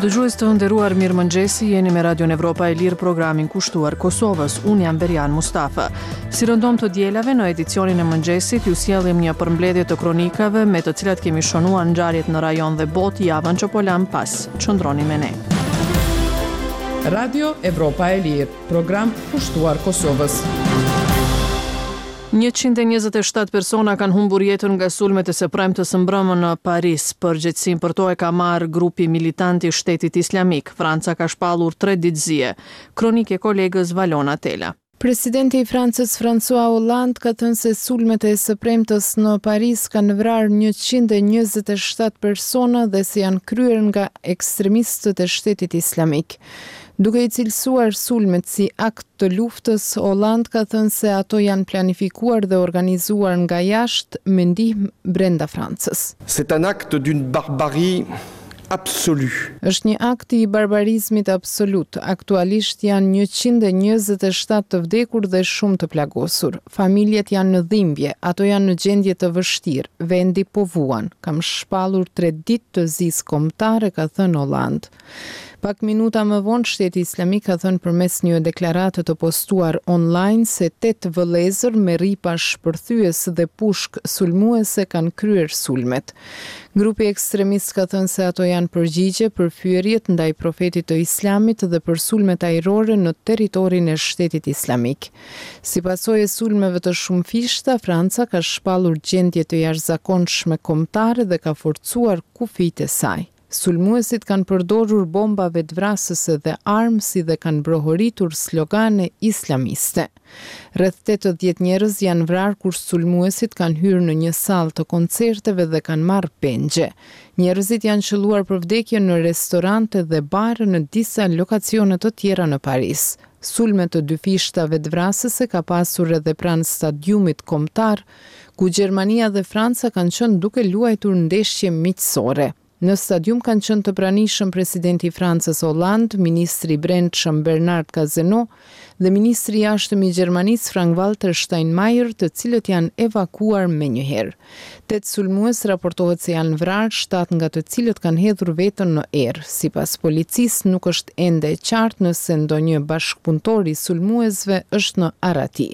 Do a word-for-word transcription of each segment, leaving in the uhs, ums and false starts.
Dëgjues të nderuar, mirëmëngjesi, jeni me Radion Evropa e Lirë, programin kushtuar Kosovës. Unë jam Berjan Mustafa. Si rëndom të dielave, në edicionin e mëngjesit ju sjellim një përmbledhje të kronikave me të cilat kemi shënuar ngjarjet në rajon dhe botë javën që po lam pas. Qëndroni me ne. Radio Evropa e Lirë, program kushtuar Kosovës. njëqind e njëzet e shtatë persona kanë humbur jetën nga sulmet e së premtes së mbrëmë në Paris. Përgjegjësinë për to e ka marrë grupi militant i Shtetit Islamik. Franca ka shpallur tre ditë zie. Kronikë e kolegës Valona Tela. Presidenti i Francës, François Hollande, ka thënë se sulmet e së premtes në Paris kanë vrarë njëqind e njëzet e shtatë persona dhe se janë kryer nga ekstremistët e Shtetit Islamik. Duke i cilësuar sulmet si akt të luftës, Hollande ka thënë se ato janë planifikuar dhe organizuar nga jashtë me ndihmë brenda Francës. C'est un acte d'une barbarie absolue. Është një akt i barbarizmit absolut. Aktualisht janë njëqind e njëzet e shtatë të vdekur dhe shumë të plagosur. Familjet janë në dhimbje, ato janë në gjendje të vështirë. Vendi po vuan. Kam shpallur tre ditë të zisë kombëtare, ka thënë Hollande. Pak minuta më vonë, Shteti Islamik ka thënë përmes një deklarate të postuar online se tetë vëllezër me rripa shpërthyes dhe pushk sulmuese kanë kryer sulmet. Grupi ekstremist ka thënë se ato janë përgjigje për fyerjet ndaj profetit të Islamit dhe për sulmet ajrore në territorin e Shtetit Islamik. Si pasojë e sulmeve të shumëfishta, Franca ka shpallur gjendje të jashtëzakonshme kombëtare dhe ka forcuar kufijtë e saj. Sulmuesit kanë përdorur bomba vetvrasëse dhe armë, si dhe kanë brohoritur slogane islamiste. Rreth tetëdhjetë njerëz janë vrarë kur sulmuesit kanë hyrë në një sallë të koncerteve dhe kanë marrë pengje. Njerëzit janë qëlluar për vdekje në restorante dhe bare në disa lokacione të tjera në Paris. Sulme të dyfishta vetvrasëse ka pasur edhe pranë stadiumit kombëtar, ku Gjermania dhe Franca kanë qenë duke luajtur ndeshje miqësore. Në stadium kanë qenë të pranishëm presidenti i Francës Hollande, ministri i Brendshëm Bernard Cazeneuve dhe ministri i Jashtëm i Gjermanisë Frank-Walter Steinmeier, të cilët janë evakuar menjëherë. Tetë sulmues raportohet se janë vrarë, shtatë nga të cilët kanë hedhur veten në erë. Sipas policisë, nuk është ende e qartë nëse ndonjë bashkëpunëtor i sulmuesve është në arrati.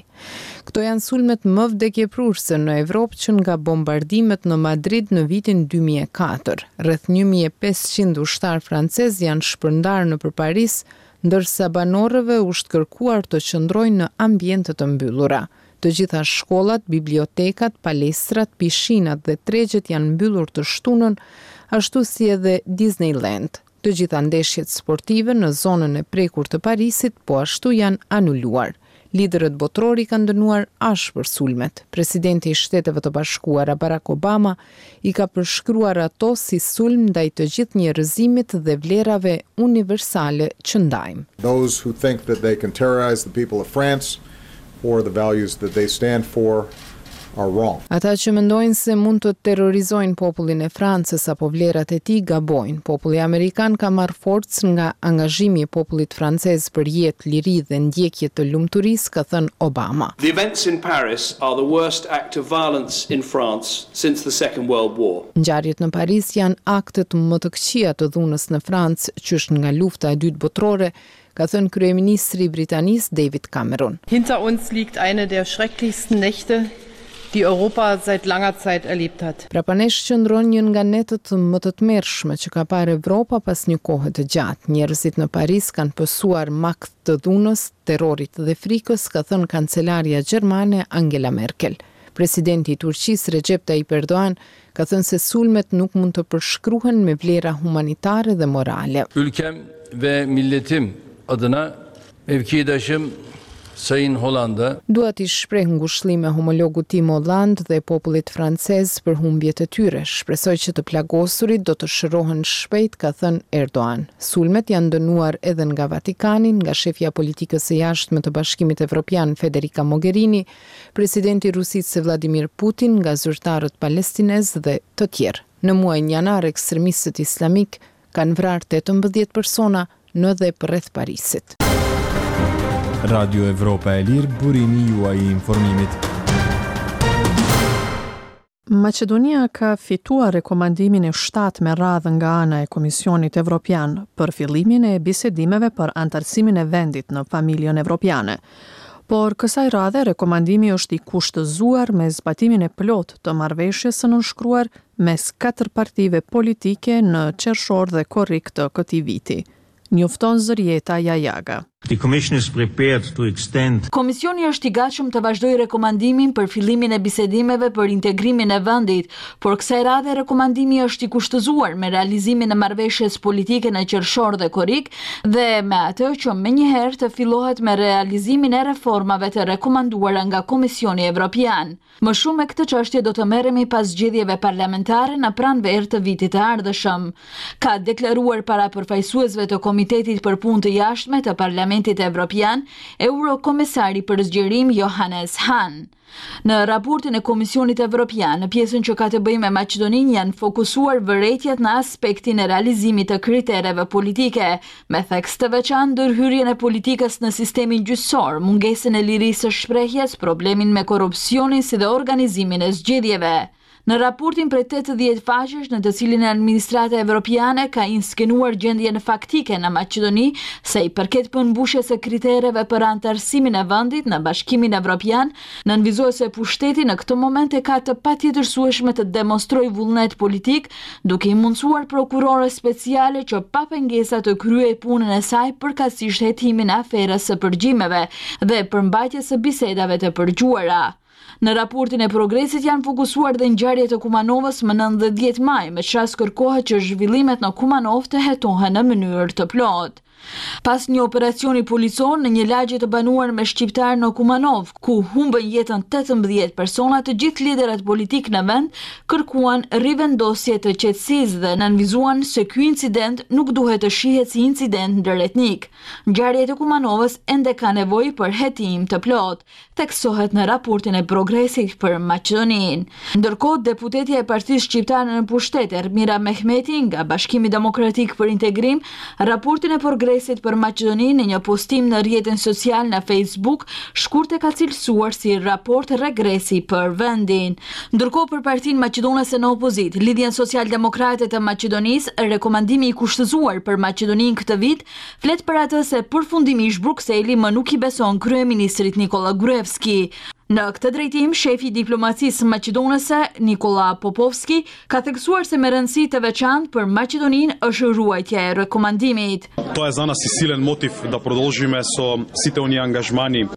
Këto janë sulmet më vdekjeprurëse në Evropë që nga bombardimet në Madrid në vitin dy mijë e katër. Rreth një mijë e pesëqind ushtarë francez janë shpërndarë nëpër Paris, ndërsa banorëve u është kërkuar të qëndrojnë në ambiente të mbyllura. Të gjitha shkollat, bibliotekat, palestrat, pishinat dhe tregjet janë mbyllur të shtunën, ashtu si edhe Disneyland. Të gjitha ndeshjet sportive në zonën e prekur të Parisit po ashtu janë anuluar. Liderët botërori kanë dënuar ashpër sulmet. Presidenti i Shteteve të Bashkuara, Barack Obama, i ka përshkruar ato si sulm ndaj të gjithë njerëzimit dhe vlerave universale që ndajmë. Those who think that they can terrorize the people of France or the values that they stand for are wrong. Ata që mendojnë se mund të terrorizojnë popullin e Francës apo vlerat e tij gabojnë. Populli amerikan ka marrë forcë nga angazhimi i popullit francez për jetë, liri dhe ndjekje të lumturisë, ka thënë Obama. The events in Paris are the worst act of violence in France since the Second World War. Ngjarjet në Paris janë aktet më të këqija të dhunës në Francë qysh nga Lufta e Dytë Botërore, ka thënë kryeministri i Britanisë, David Cameron. Hinter uns liegt eine der schrecklichsten Nächte, die Europa seit langer Zeit erlebt hat. Prapa nesh qëndron një nga netët më të tmerrshme që ka parë Evropa pas një kohe të gjatë. Njerëzit në Paris kanë pësuar makth të dhunës, terrorit dhe frikës, ka thënë kancelarja gjermane Angela Merkel. Presidenti i Turqisë, Recep Tayyip Erdogan, ka thënë se sulmet nuk mund të përshkruhen me vlera humanitare dhe morale. Ülkem ve milletim adına mevkidaşım Sayın Hollande'a Dua t'i shpreh ngushëllime homologut tim Hollande dhe popullit francez për humbjet e tyre. Shpresoj që të plagosurit do të shërohen shpejt, ka thënë Erdogan. Sulmet janë dënuar edhe nga Vatikani, nga shefja e politikës së jashtme të Bashkimit Evropian, Federica Mogherini, presidenti i Rusisë Vladimir Putin, nga zyrtarët palestinez dhe të tjerë. Në muajin janar, ekstremistët islamik kanë vrarë tetëmbëdhjetë persona në dhe përreth Parisit. Radio Evropa e Lirë, burimi juaj i informimit. Maqedonia ka fituar rekomandimin e shtatë me radhë nga ana e Komisionit Evropian për fillimin e bisedimeve për anëtarësimin e vendit në familjen evropiane. Por kësaj radhe rekomandimi është i kushtëzuar me zbatimin e plotë të marrëveshjes së nënshkruar mes katër partive politike në qershor dhe korrik të këtij viti. Njofton Zërjeta Jajaga. The Commission is prepared to extend Komisioni është i gatshëm të vazhdojë rekomandimin për fillimin e bisedimeve për integrimin e vendit, por kësaj radhe rekomandimi është i kushtëzuar me realizimin e marrëveshjes politike në qershor dhe korrik dhe me atë që menjëherë të fillohet me realizimin e reformave të rekomanduara nga Komisioni Evropian. Më shumë me këtë çështje do të merremi pas zgjedhjeve parlamentare në pranverë të vitit të ardhshëm, ka deklaruar para përfaqësuesve të Komitetit për Punë të Jashtme të Parlamentit Evropian, Eurokomesari për zgjerim Johannes Hahn. Në raportin e Komisionit Evropian, në pjesën që ka të bëjë me Maqedoninë janë fokusuar vërejtjet në aspektin e realizimit të kritereve politike, me theks të veçantë ndërhyrjen e politikës në sistemin gjyqësor, mungesën e lirisë së shprehjes, problemin me korrupsionin si dhe organizimin e zgjedhjeve. Në raportin prej tetëdhjetë faqesh në të cilin administrata evropiane ka inskenuar gjendjen faktike në Maqedoni sa i përket përmbushjes së kritereve për anëtarësimin e vendit në Bashkimin Evropian, nënvizohet se pushteti në këtë moment e ka të patjetërsueshme të demonstrojë vullnet politik, duke i mundësuar prokurores speciale që pa pengesa të kryejë punën e saj, përkatësisht hetimin e aferës së përgjimeve dhe përmbajtjes së bisedave të përgjuara. Në raportin e progresit janë fokusuar dhe ngjarjet e Kumanovës më nëntë dhe dhjetë maj, me ç'rast kërkohet që zhvillimet në Kumanovë të hetohen në mënyrë të plotë. Pas një operacioni policor në një lagje të banuar me shqiptar në Kumanovë, ku humbën jetën tetëmbëdhjetë persona, të gjithë liderët politik në vend kërkuan rivendosje të qetësisë dhe nënvizuan se ky incident nuk duhet të shihet si incident ndëretnik. Ngjarjet e Kumanovës ende ka nevojë për hetim të plotë, theksohet në raportin e progresit për Maqedoninë. Ndërkohë, deputetja e Partisë Shqiptare në pushtet, Ermira Mehmeti nga Bashkimi Demokratik për Integrim, raportin e progresit për Maqedoninë në një postim në rrjetin social në Facebook, shkurt e ka cilësuar si raport regresi për vendin. Ndërkohë, për Partinë Maqedonase në opozitë, Lidhjen Social-Demokrate të Maqedonisë, rekomandimi i kushtëzuar për Maqedoninë këtë vit flet për atë se përfundimisht Brukseli më nuk i beson kryeministrit Nikola Gruevski. Në këtë drejtim, shefi i diplomacisë maqedonase Nikola Popovski ka theksuar se me rëndësi të veçantë për Maqedoninë është ruajtja e rekomandimit. Тоа е за нас и силен мотив да продолжиме со сите оние ангажмани.